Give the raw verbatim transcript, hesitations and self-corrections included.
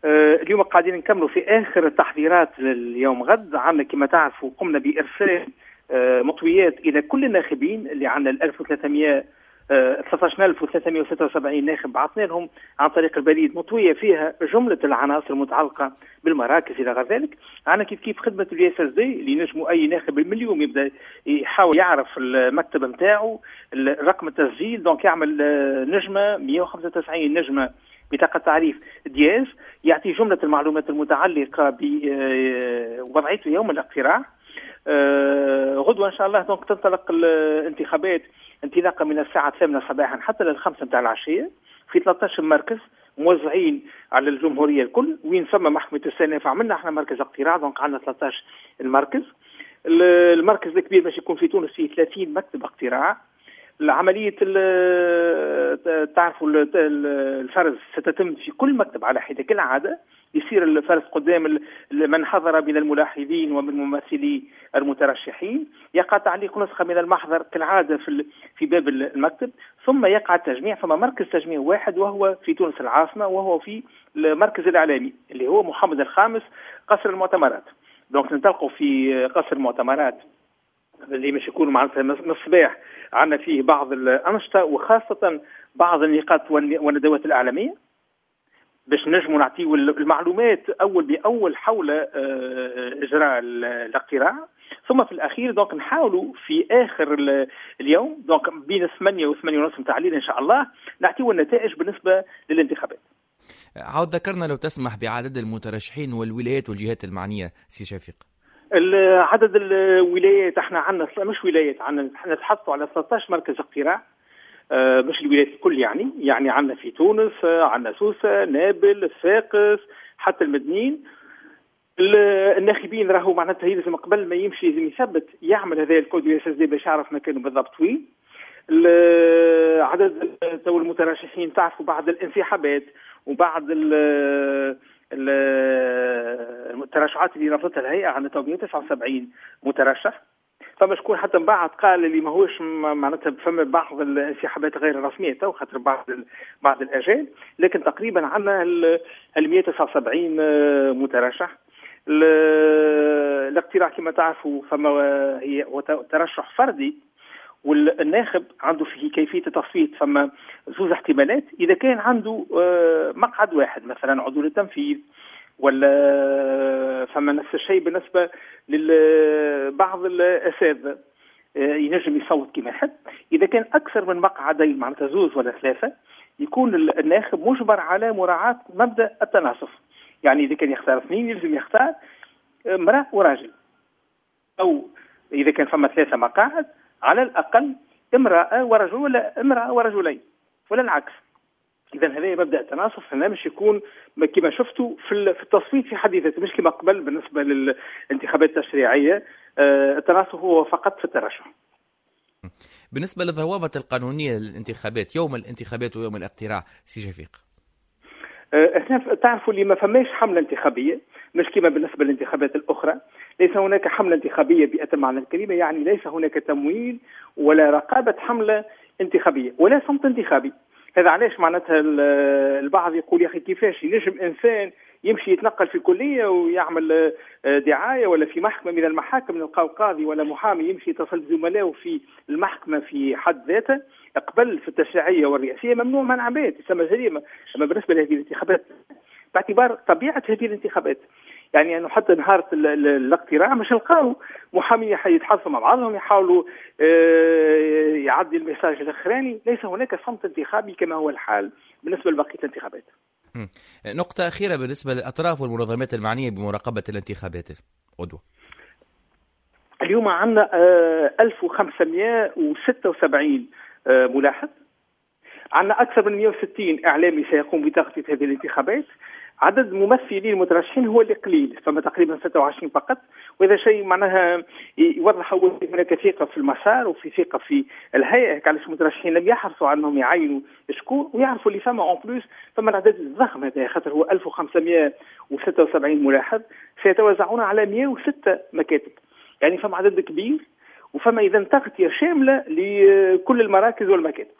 اليوم قاعدين نكملوا في اخر التحضيرات لليوم غد. عندنا كما تعرفوا قمنا بارسال مطويات الى كل الناخبين اللي عندنا ألف وثلاثمئة ثلاثة عشر ألف وثلاثمئة وستة وسبعين ناخب، بعثنا لهم عن طريق البريد مطويه فيها جملة العناصر المتعلقة بالمراكز الى غير ذلك. عندنا كيف كيف خدمة ال USSD اللي نجموا اي ناخب من اليوم يبدا يحاول يعرف المكتب نتاعو، رقم التسجيل، donc يعمل نجمه مئة وخمسة وتسعين نجمه بطاقة تعريف dièse، يعطي جملة المعلومات المتعلقة بوضعيته يوم الاقتراع. غدوه ان شاء الله donc تنطلق الانتخابات انطلاقا من الساعة الثامنة صباحا حتى للخمسة نتاع العشية في ثلاثة عشر مركز موزعين على الجمهورية الكل. وين ثم محكمة الاستئناف عملنا احنا مركز اقتراع، donc عندنا ثلاثة عشر المركز. المركز الكبير باش يكون في تونس فيه ثلاثين مكتب اقتراع. العملية تعرفوا الفرز ستتم في كل مكتب على حدة كالعادة، يصير الفرز قدام من حضر من الملاحظين ومن ممثلي المترشحين، يقع تعليق نسخة من المحضر كالعادة في في باب المكتب، ثم يقع التجميع. فما مركز تجميع واحد وهو في تونس العاصمة، وهو في المركز الإعلامي اللي هو محمد الخامس قصر المؤتمرات. donc ننطلقوا في قصر المؤتمرات اللي مش يكون معناتها من الصباح عندنا فيه بعض الأنشطة وخاصة بعض النقاط والندوات الإعلامية باش نجموا نعطيو المعلومات أول بأول حول إجراء الاقتراع. ثم في الأخير donc نحاولوا في آخر اليوم donc بين ثمانية وثمانية ونص نتاع الليل إن شاء الله نعطيو النتائج بالنسبة للانتخابات. عاود ذكرنا لو تسمح بعدد المترشحين والولايات والجهات المعنية سي شفيق. عدد الولايات احنا عندنا مش ولايات، عندنا نتحدثوا على ثلاثة عشر مركز اقتراع، مش الولايات الكل، يعني يعني عندنا في تونس، عندنا سوسة، نابل، صفاقس، حتى المدنين. الناخبين راهو معناتها يلزم قبل ما يمشي لازم يثبت يعمل هذا ال code USSD باش يعرف مكانه بالضبط وين. عدد تو المترشحين تعرفوا بعد الانسحابات وبعد الترشحات اللي رفضتها الهيئة عندنا تو مئة وتسعة وسبعين مترشح. فما شكون حتى من بعد قال اللي ماهوش معناتها فما بعض الانسحابات غير الرسمية تو خاطر بعض بعض الاجال، لكن تقريبا عندنا ال مئة وتسعة وسبعين مترشح. الاقتراع كما تعرفوا فما هي ترشح فردي، والناخب عنده في كيفية التصويت فما زوز احتمالات. اذا كان عنده مقعد واحد مثلا عضو للتنفيذ، ولا فما نفس الشيء بالنسبة لبعض الاساتذة ينجم يصوت كما يحب. اذا كان اكثر من مقعدين معناتها زوز ولا ثلاثة، يكون الناخب مجبر على مراعاة مبدا التناصف، يعني اذا كان يختار اثنين يلزم يختار امراة وراجل، او اذا كان فما ثلاثة مقاعد على الاقل امراة ورجل ولا امراة ورجلين ولا العكس. اذا هذا مبدا التناصف هنا مش يكون كما شفتوا في التصويت في حد ذاته، مش كما قبل بالنسبة للانتخابات التشريعية التناصف هو فقط في الترشح. بالنسبة للضوابط القانونية للانتخابات يوم الانتخابات ويوم الاقتراع سي شفيق، احنا تعرفوا اللي ما فماش حمله انتخابية، مش كما بالنسبة للانتخابات الاخرى، ليس هناك حمله انتخابية بأتم معنى الكلمة، يعني ليس هناك تمويل ولا رقابه حمله انتخابية ولا صمت انتخابي. هذا علاش معناتها البعض يقول يا اخي كيفاش ينجم انسان يمشي يتنقل في كليه ويعمل دعاية، ولا في محكمة من المحاكم نلقاو قاضي ولا محامي يمشي يتصل بزملائه في المحكمة في حد ذاته. قبل في التشريعية والرئاسيه ممنوع منع بات، يسمى جريمة. اما بالنسبة لهذه الانتخابات باعتبار طبيعة هذه الانتخابات، يعني انه حتى نهار الاقتراع مش نلقاو محامين يتحدثوا مع بعضهم يحاولوا يعدي ال message الاخراني، ليس هناك صمت انتخابي كما هو الحال بالنسبة لبقية الانتخابات. نقطة أخيرة بالنسبة للأطراف والمنظمات المعنية بمراقبة الانتخابات غدوة. اليوم عندنا ألف وخمسمئة وستة وسبعين ملاحظ، عندنا أكثر من مئة وستين إعلامي سيقوم بتغطية هذه الانتخابات. عدد ممثلين المترشحين هو اللي قليل، فما تقريبا ستة وعشرين فقط، وهذا شيء معناها يوضح هناك ثقة في المسار وفي ثقة في الهيئة. علاش المترشحين لم يحرصوا على انهم يعينوا شكون ويعرفوا اللي فما en plus فما العدد الضخم هذا، خاطر هو ألف وخمسمئة وستة وسبعين ملاحظ سيتوزعون على مئة وستة مكاتب، يعني فما عدد كبير وفما اذا تغطية شاملة لكل المراكز والمكاتب.